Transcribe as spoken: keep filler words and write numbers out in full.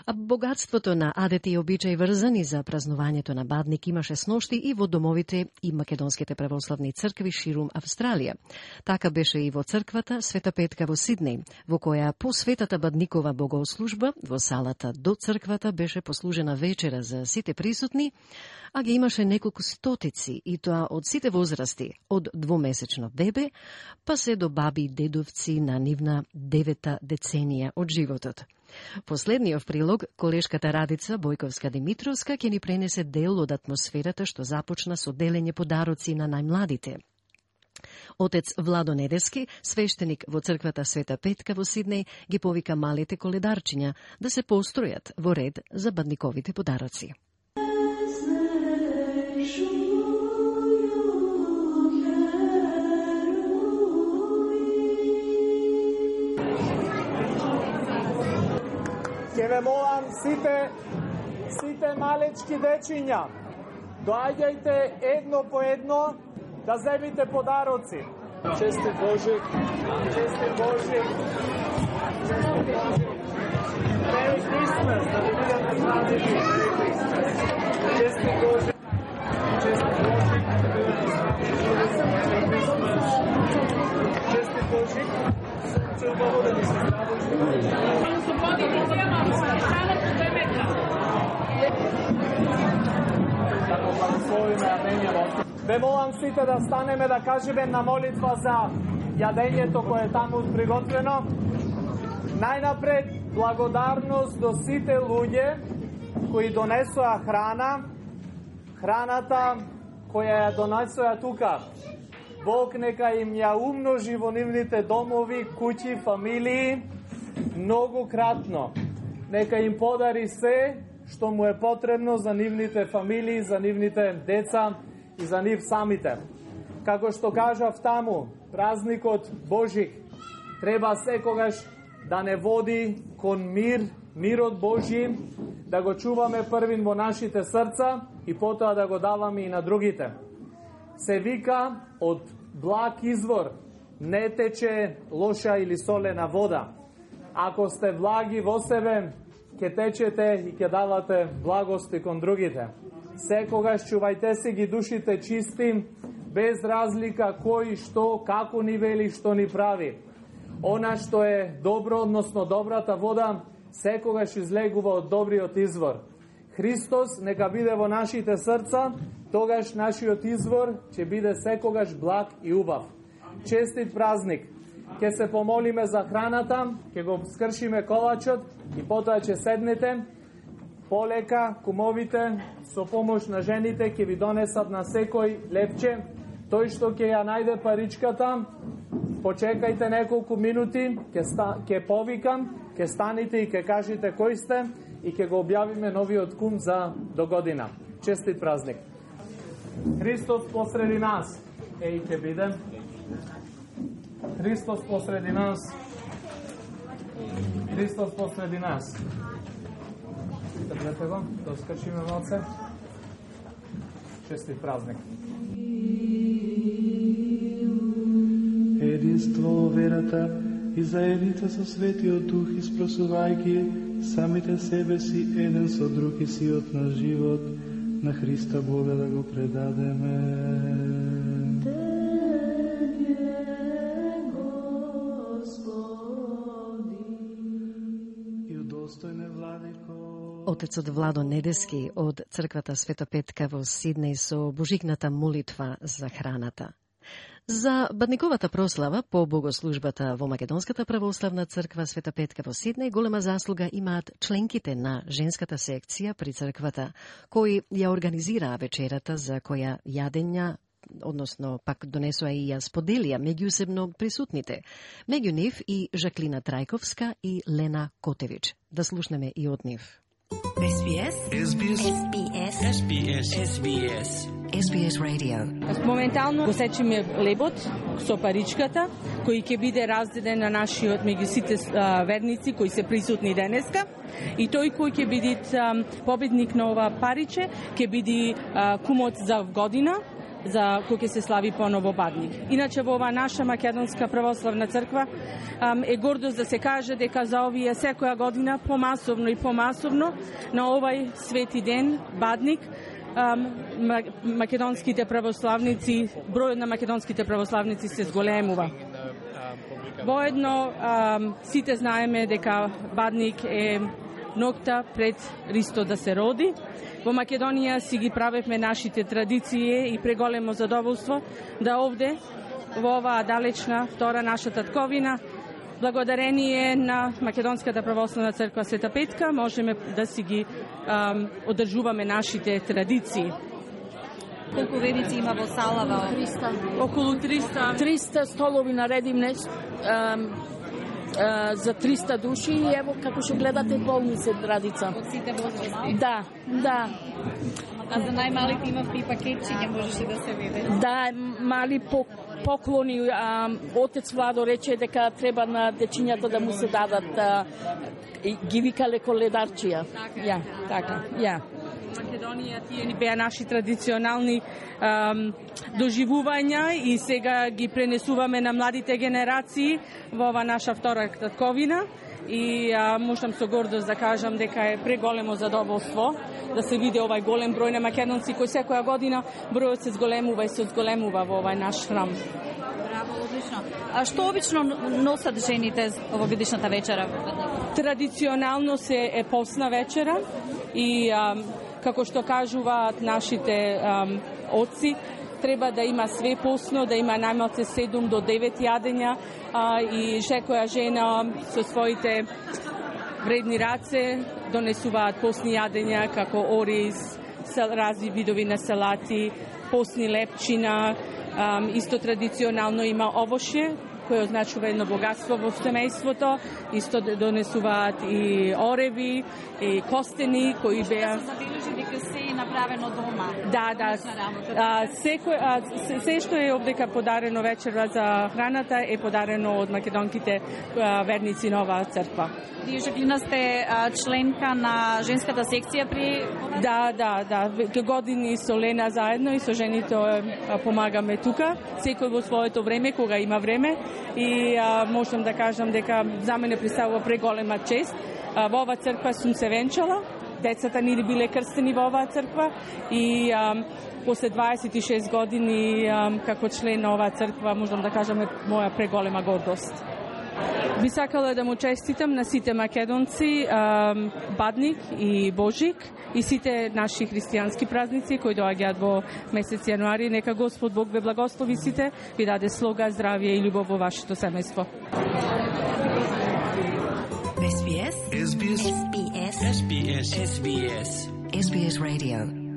А богатството на адети и обичаи врзани за празнувањето на Бадник имаше сношти и во домовите и македонските православни цркви ширум Австралија. Така беше и во црквата Света Петка во Сиднеј, во која по Светата Бадникова богослужба во салата до црквата беше послужена вечера за сите присутни, а ги имаше неколку стотици, и тоа од сите возрасти, од двомесечно бебе, па се до баби и дедовци на нивна девета деценија од животот. Последниот прилог, колешката Радица Бојковска-Димитровска ќе ни пренесе дел од атмосферата што започна со делење подароци на најмладите. Отец Владо Недески, свештеник во црквата Света Петка во Сиднеј, ги повика малите коледарчиња да се постројат во ред за бадниковите подароци. Ке ве молам сите, сите малечки дечиња, доаѓајте едно по едно да земите подароци. Честит Божик, честит Божик, честит Божик. Merry Christmas, да ви видам здрави, Merry Christmas. Честит Божик, честит Божик, честит Божик. Се убаво да ви се здраво. Ве молам сите да станеме да кажеме на молитва за јадењето кое е таму приготвено. Најнапред благодарност до сите луѓе кои донесоа храна, храната која ја донесоа тука. Бог нека им ја умножи во нивните домови, куќи, фамилии, многу кратно. Нека им подари се што му е потребно за нивните фамилии, за нивните деца и за нив самите. Како што кажав таму, празникот Божик треба секогаш да не води кон мир, мирот Божи, да го чуваме првин во нашите срца и потоа да го даваме и на другите. Се вика од благ извор не тече лоша или солена вода. Ако сте влаги во себе, ќе течете и ќе давате благости кон другите. Секогаш чувајте си ги душите чисти, без разлика кој, што, како ни вели, што ни прави. Она што е добро, односно добрата вода, секогаш излегува од добриот извор. Христос нека биде во нашите срца, тогаш нашиот извор ќе биде секогаш благ и убав. Честит празник! Ке се помолиме за храната, ке го скршиме колачот и потоа ќе седнете. Полека, кумовите, со помош на жените, ќе ви донесат на секој лепче. Тој што ќе ја најде паричката, почекајте неколку минути, ќе ста, ќе повикам, ќе станите и ќе кажете кој сте и ќе го објавиме новиот кум за до година. Честит празник! Христос посреди нас. Еј, ќе бидем. Христос посреди нас. Христос посреди нас. Тргнете го, да скрчиме малце. Честит празник. Единство во верата и заедница со Светиот Дух, испросувајќи самите себе си еден со друг и сиот на живот, на Христа Бога да го предадеме. Отецот Владо Недески од црквата Света Петка во Сиднеј со божикната молитва за храната. За бадниковата прослава по богослужбата во Македонската православна црква Света Петка во Сиднеј голема заслуга имаат членките на женската секција при црквата, кои ја организираа вечерата за која јадења, односно пак донесоа и ја споделија меѓусебно присутните. Меѓу нив и Жаклина Трајковска и Лена Котевич. Да слушнеме и од нив. Ес Би Ес. Ес Би Ес. Ес Би Ес. Ес Би Ес. Ес Би Ес Radio. Моментално го сечиме лебот со паричката, кој ќе биде разделен на нашиот меѓу сите верници кои се присутни денеска. И тој кој ќе биде победник на ова париче, ќе биде кумот за година, за кој ќе се слави поново Бадник. Иначе во оваа наша македонска православна црква е гордост да се каже дека за овие секоја година помасовно и помасовно на овај свети ден Бадник македонските православници, бројот на македонските православници се зголемува. Воедно сите знаеме дека Бадник е ноќта пред Христо да се роди. Во Македонија си ги правевме нашите традиции и преголемо задоволство да овде, во оваа далечна втора наша татковина, благодарение на Македонската православна црква Света Петка, можеме да си ги ам, одржуваме нашите традиции. Колку верници има во салава? триста. Околу триста. триста столови наредивме ам, а, за триста души и ево како што гледате полни се традица. Од сите возрасти? Да, да. А за најмалите има и пакетчиња, можеше да се види? Да, мали поклони. А, отец Владо рече дека треба на дечињата да му се дадат, а, ги викале коледарчија. Така, ја, така, ја. Македонија тие ни беа наши традиционални ам, доживувања и сега ги пренесуваме на младите генерации во ова наша втора татковина и а, можам со гордост да кажам дека е преголемо задоволство да се види овај голем број на македонци кој секоја година бројот се зголемува и се зголемува во овај наш храм. Браво, одлично. А што обично носат жените овогодишната вечера? Традиционално се е постна вечера и а, како што кажуваат нашите ам, отци, треба да има све постно, да има најмалце седум до девет јадења а, и секоја жена со своите вредни раце донесуваат постни јадења како ориз, разни видови на салати, постни лепчина, ам, исто традиционално има овошје, кој означува едно богатство во семејството, исто донесуваат и ореви, и костени, кои беа... Се забележи дека се е направено дома. Да, да. А, секој, а, се, се што е овдека подарено вечера за храната е подарено од македонките а, верници на оваа црква. Вие Жаклина сте а, членка на женската секција при... Да, да, да. Веќе години со Лена заедно и со жените а, помагаме тука. Секој во своето време, кога има време. И а, можам да кажам дека за мене представува преголема чест. А, во оваа црква сум се венчала. Децата ни биле крстени во оваа црква и а, после дваесет и шест години а, како член на оваа црква можам да кажам е моја преголема гордост. Би сакала да му честитам на сите македонци Бадник и Божик и сите наши христијански празници кои доаѓаат во месец јануари. Нека Господ Бог ве благослови сите, ви даде слога, здравје и љубов во вашето семејство. S B S S B S S B S S B S S B S Radio